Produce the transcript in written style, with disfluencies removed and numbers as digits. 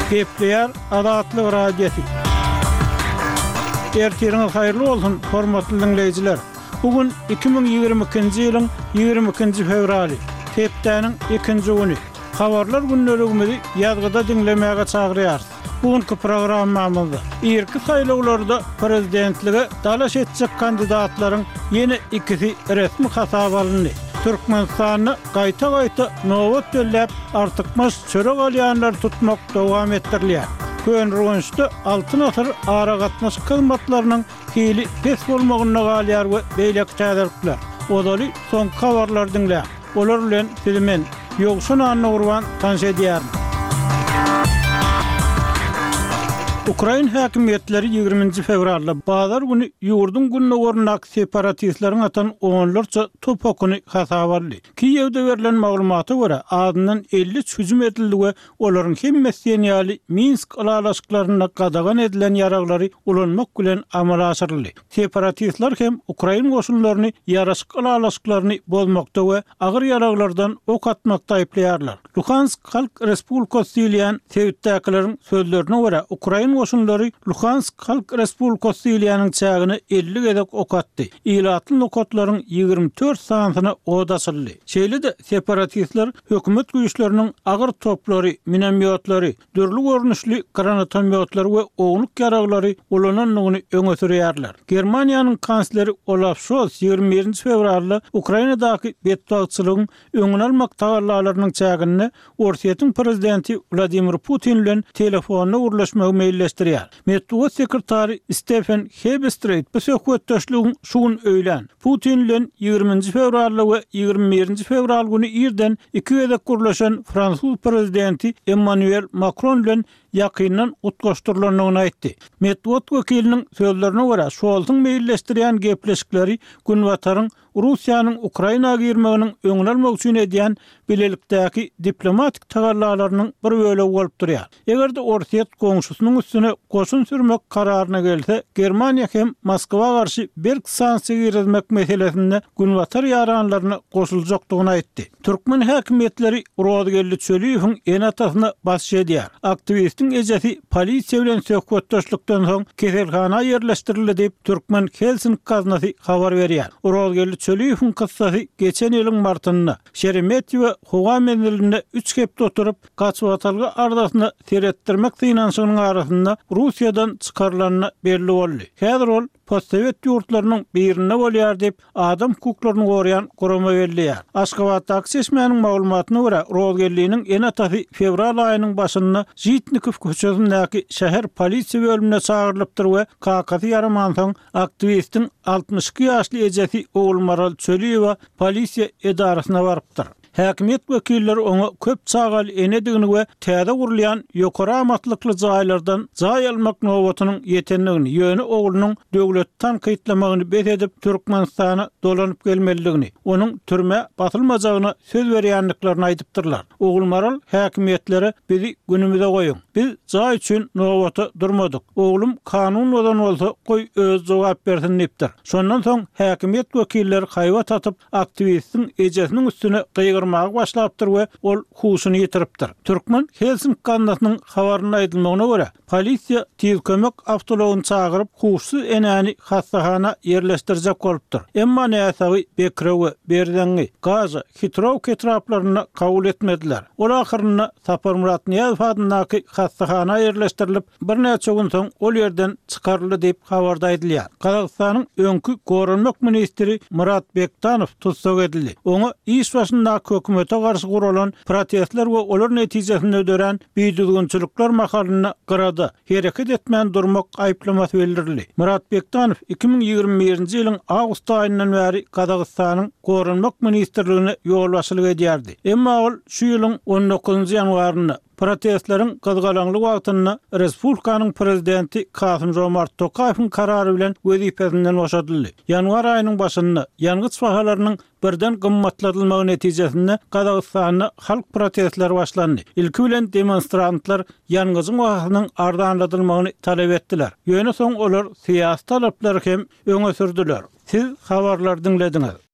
Gepleýär Azatlyk Radiosy. Ertiriňiz haýyrly bolsun, hormatly diňleýjiler! Bu gün 2022-nji ýylyň 22-nji fewraly, hepdäniň ikinji güni. Habarlar gündeligimizi ýazgyda diňlemäge çagyrýarys. Bu günki programmamyzda irki saýlawlarda prezidentlige dalaş etjek kandidatlaryň ýene ikisi resmi hasaba alyndy. Türkmenistanda gaýta-gaýta nobat belläp, artykmaç çörek alýanlary tutmak dowam etdirilýär. Köneürgençde Altyn asyr aragatnaşyk hyzmatlarynyň hili pes bolmagynda galýar we beýleki täzelikler. Ozaly soňky habarlary diňläň. Olar bilen sizi men, Ýowşan Annagurban tanyş edýärin. Ukrain häkimiýetleri ýigriminji fewralda, bazar güni ýurduň gündogaryndaky separatistleriň atan onlarça top okuny hasaba aldy. Kiýewde berlen maglumata görä, azyndan 53 hüjüm edildi we olaryň hemmesi diýen ýaly Minsk ylalaşyklarynda gadagan edilen ýaraglary ulanmak bilen amala aşyryldy. Separatistler hem ukrain goşunlaryny ýaraşyk ylalaşyklaryny bozmakda we agyr ýaraglardan ok atmakda aýyplaýarlar. Luhansk Halk Respublikasy diýilýän sebitdäkileriň sözlerine görä, ukrain goşunlary Luhansk Halk Respublikasy diýilýäniň çägine 50 gezek ok atdy, ilatly nokatlaryň 24 sanysyna od açyldy. Şeýle-de, separatistler hökümet güýçleriniň agyr toplary, minomýotlary, dürli görnüşli granatomýotlary we ownuk ýaraglary ulanandygyny öňe sürýärler. Germaniýanyň kansleri Olaf Şolz 21-nji fewralda Ukrainadaky betbagtçylygyň öňüni almak tagallalarynyň çäginde Orsýetiň prezidenti Wladimir Putin bilen telefonda gürleşmegi meýilleşdirýär. Metbugat sekretary Stefen Hebestreýt bu söhbetdeşligiň şu gün öýlän, Putin bilen ýigriminji fewralda we 21-nji fewral güni irden iki gezek gürleşen fransuz prezidenti Emmanuel Makron bilen ýakyndan utgaşdyrylandygyny aýtdy. Metbugat wekiliniň sözlerine görä, Şolsuň meýilleşdirýän gepleşikleri Günbataryň Russiýanyň Ukraina girmeginiň öňüni almak üçin edýän bilelikdäki diplomatik tagallalarynyň bir bölegi bolup durýar. Eger-de Orsýet goňşusynyň üstüne goşun sürmek kararyna gelse, Germaniýa hem Moskwa garşy berk sanksiýa girizmek meselesinde Günbatar ýaranlaryna goşuljakdygyny aýtdy. Türkmen häkimiýetleri Rozgeldi Çöliýewiň ene-atasyna basyş edýär. Aktiwistiň ejesi polisiýa bilen söhbetdeşlikden soň keselhana ýerleşdirildi diýip, Türkmen Helsinki gaznasy habar berýär. Rozgeldi Çöliýewiň kyssasy geçen ýylyň martynda, Şeremetýewo howa menzilinde üç hepde oturyp, gaçybatalga arzasyna seretdirmek synanyşygynyň arasynda Russiýadan çykarylanda belli boldy. Häzir ol postsowet ýurtlarynyň birinde bolýar diýip, adam hukuklaryny goraýan gurama belleýär. Aşgabatdaky çeşmäniň maglumatyna görä, Rozgeldiniň ene-atasy fewral aýynyň başynda Žitnikow köçesindäki şäher polisiýa bölümine çagyrylypdyr we kakasy ýaramansoň, aktiwistiň 62 ýaşly ejesi Ogulmaral Çöliýewa polisiýa edarasyna barypdyr. Häkimiýet wekilleri oňa köp çagaly enedigini we täze gurulýan ýokary amatlykly jaýlardan jaý almak nobatynyň ýetendigini, ýöne oglunyň döwleti tankytlamagyny bes edip, Türkmenistana dolanyp gelmelidigini, onuň türmä basylmajagyna söz berýändiklerini aýdypdyrlar. Ogulmaral häkimiýetlere bizi günümize goýuň. Biz jaý üçin nobata durmadyk. Oglum kanun bozan bolsa, goý özi jogap bersin diýipdir. Şondan soň häkimiýet wekilleri haýbat atyp, aktiwistiň ejesiniň üstüne gygyrmaga başlapdyr we ol huşuny ýitiripdir. Türkmen Helsinki gaznasynyň habarynda aýdylmagyna görä, polisiýa Tiz kömek awtoulagyny çagyryp, huşsuz enäni hassahana ýerleşdirjek bolupdyr. Emma näsagy Bekrewe, Berzeňňi, Gaža, Hitrowka etraplarynda kabul etmediler. Ol ahyrynda Saparmyrat Nyýazow adyndaky hassahana ýerleşdirilip, Birnäçe gün soň ol ýerden çykaryldy diýip, habarda aýdylýar. Gazagystanyň öňki goranmak ministri Murat Bektanow tussag edildi. Oňa iş başyndaky hökümete garşy guralan protestler we olar netijesinde dörän bidüzgünçilikler mahalynda gyrada, hereket etmän durmak aýyplamasy bildirildi. Murat Bektanow 2021-nji ýylyň awgust aýyndan bäri Gazagystanyň Goranmak ministrligine ýolbaşçylyk edýärdi. Emma ol şu ýylyň on dokuzynjy ýanwarynda, Protestleriň gyzgalaňly wagtynda respublikanyň prezidenti Kasym-Žomart Tokaýewiň karary bilen wezipesinden boşadyldy. Ýanwar aýynyň başynda, ýangyç bahalarynyň birden gymmatladylmagy netijesinde Gazagystanda halk protestleri başlandy. Ilki bilen demonstrantlar ýangyjyň bahasynyň arzanladylmagyny talap etdiler. Ýöne soň olar syýasy talaplary hem öňe sürdüler. Siz habarlary diňlediňiz.